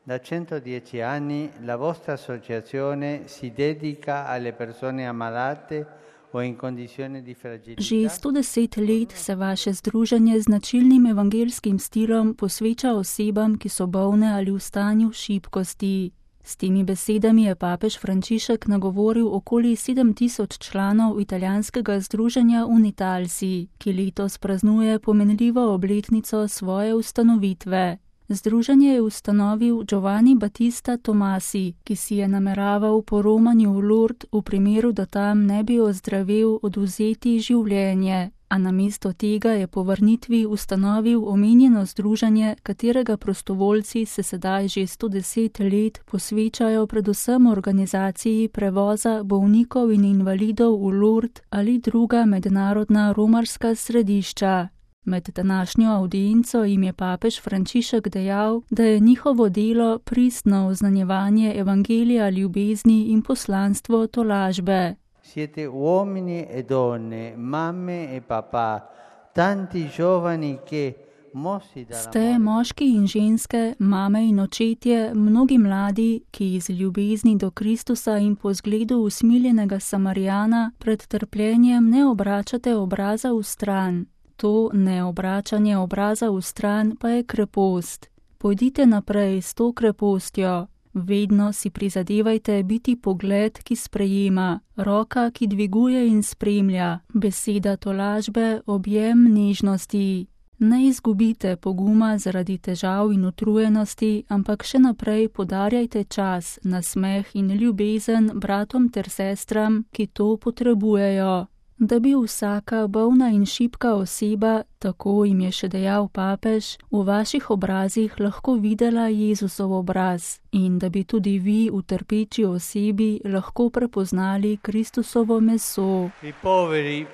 Da 110 anni la vostra associazione si dedica alle persone ammalate o in condizioni di fragilità. Že 110 let se vaše združenje z značilnim evangelskim stilom posveča osebam, ki so bolne ali v stanju šibkosti. S temi besedami je papež Frančišek nagovoril okoli 7000 članov italijanskega združenja Unitalsi, ki letos praznuje pomenljivo obletnico svoje ustanovitve. Združenje je ustanovil Giovanni Battista Tomasi, ki si je nameraval po romanju v Lourdes v primeru, da tam ne bi ozdravel, odvzeti življenje, a namesto tega je po vrnitvi ustanovil omenjeno združenje, katerega prostovoljci se sedaj že 110 let posvečajo predvsem organizaciji prevoza bolnikov in invalidov v Lourdes ali druga mednarodna romarska središča. Med današnjo avdienco jim je papež Frančišek dejal, da je njihovo delo pristno oznanjevanje evangelija ljubezni in poslanstvo tolažbe. Siete uomini e donne, mamme e papà, tanti giovani che mossi dalla Ste moški in ženske, mame in očetje, mnogi mladi, ki iz ljubezni do Kristusa in po zgledu usmiljenega Samarijana pred trpljenjem ne obračate obraza v stran. To neobračanje obraza v stran pa je krepost. Pojdite naprej s to krepostjo. Vedno si prizadevajte biti pogled, ki sprejema, roka, ki dviguje in spremlja, beseda tolažbe, objem nežnosti. Ne izgubite poguma zaradi težav in utrujenosti, ampak še naprej podarjajte čas, nasmeh in ljubezen bratom ter sestram, ki to potrebujejo. Da bi vsaka bolna in šibka oseba, tako jim je še dejal papež, v vaših obrazih lahko videla Jezusov obraz in da bi tudi vi v trpeči osebi lahko prepoznali Kristusovo meso. I poveri,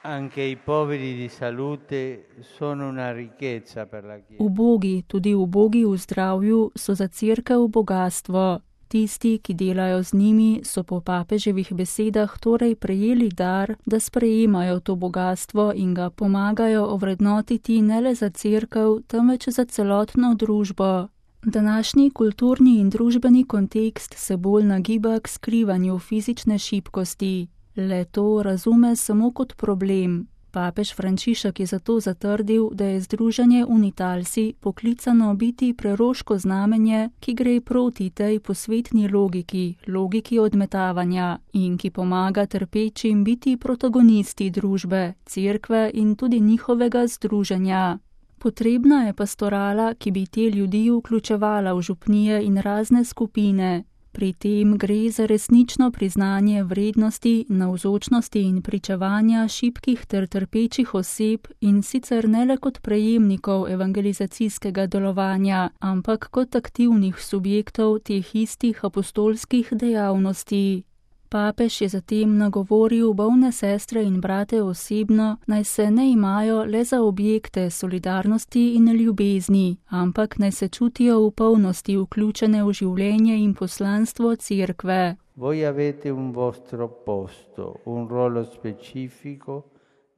anche i poveri di salute, sono una ricchezza per la Chiesa. Ubogi, tudi ubogi v zdravju, so za cerkev bogastvo. Tisti, ki delajo z njimi, so po papeževih besedah torej prejeli dar, da sprejemajo to bogatstvo in ga pomagajo ovrednotiti ne le za cerkev, temveč za celotno družbo. Današnji kulturni in družbeni kontekst se bolj nagiba k skrivanju fizične šibkosti. Le to razume samo kot problem. Papež Frančišek je zato zatrdil, da je združenje Unitalsi poklicano biti preroško znamenje, ki gre proti tej posvetni logiki odmetavanja in ki pomaga trpečim biti protagonisti družbe, cerkve in tudi njihovega združenja. Potrebna je pastorala, ki bi te ljudi vključevala v župnije in razne skupine. Pri tem gre za resnično priznanje vrednosti, navzočnosti in pričevanja šibkih ter trpečih oseb in sicer ne le kot prejemnikov evangelizacijskega delovanja, ampak kot aktivnih subjektov teh istih apostolskih dejavnosti. Papež je zatem nagovoril bolne sestre in brate osebno, naj se ne imajo le za objekte solidarnosti in ljubezni, ampak naj se čutijo v polnosti vključene v življenje in poslanstvo cerkve. Voi avete un vostro posto, un ruolo specifico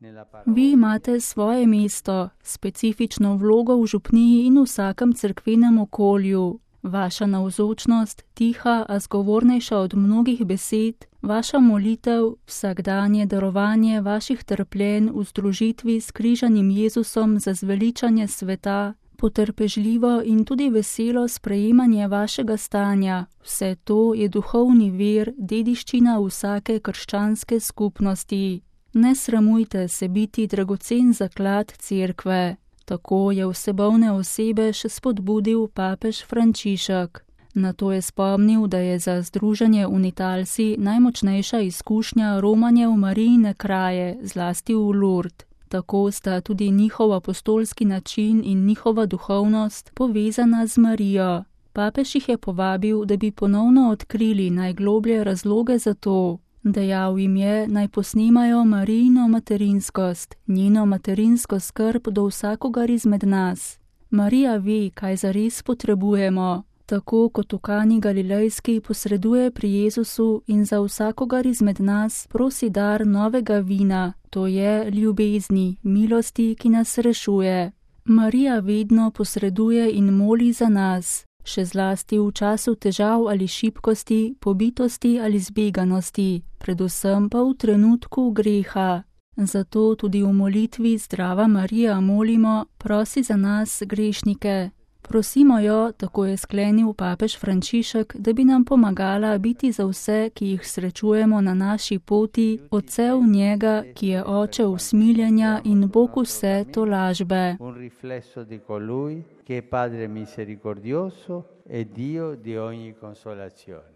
nella parola. Vi imate svoje mesto, specifično vlogo v župniji in vsakem cerkvenem okolju. Vaša navzočnost, tiha, a zgovornejša od mnogih besed, vaša molitev, vsakdanje darovanje vaših trpljenj v združitvi s križanim Jezusom za zveličanje sveta, potrpežljivo in tudi veselo sprejemanje vašega stanja, vse to je duhovni vir, dediščina vsake krščanske skupnosti. Ne sramujte se biti dragocen zaklad cerkve. Tako je vse bolne osebe še spodbudil papež Frančišek. Nato je spomnil, da je za združenje Unitalsi najmočnejša izkušnja romanje v Marijine kraje, zlasti v Lourdes. Tako sta tudi njihov apostolski način in njihova duhovnost povezana z Marijo. Papež jih je povabil, da bi ponovno odkrili najgloblje razloge za to. Dejal jim je, naj posnemajo Marijino materinskost, njeno materinsko skrb do vsakogar izmed nas. Marija ve, kaj zares potrebujemo. Tako kot v Kani Galilejski posreduje pri Jezusu in za vsakogar izmed nas prosi dar novega vina, to je ljubezni, milosti, ki nas rešuje. Marija vedno posreduje in moli za nas. še zlasti v času težav ali šibkosti, pobitosti ali zbeganosti, predvsem pa v trenutku greha. Zato tudi v molitvi Zdrava Marija molimo, prosi za nas grešnike. Prosimo jo, tako je sklenil papež Frančišek, da bi nam pomagala biti za vse, ki jih srečujemo na naši poti, odsev njega, ki je oče usmiljenja in Bog vse tolažbe. Un riflesso di colui che è Padre misericordioso e Dio di ogni consolazione.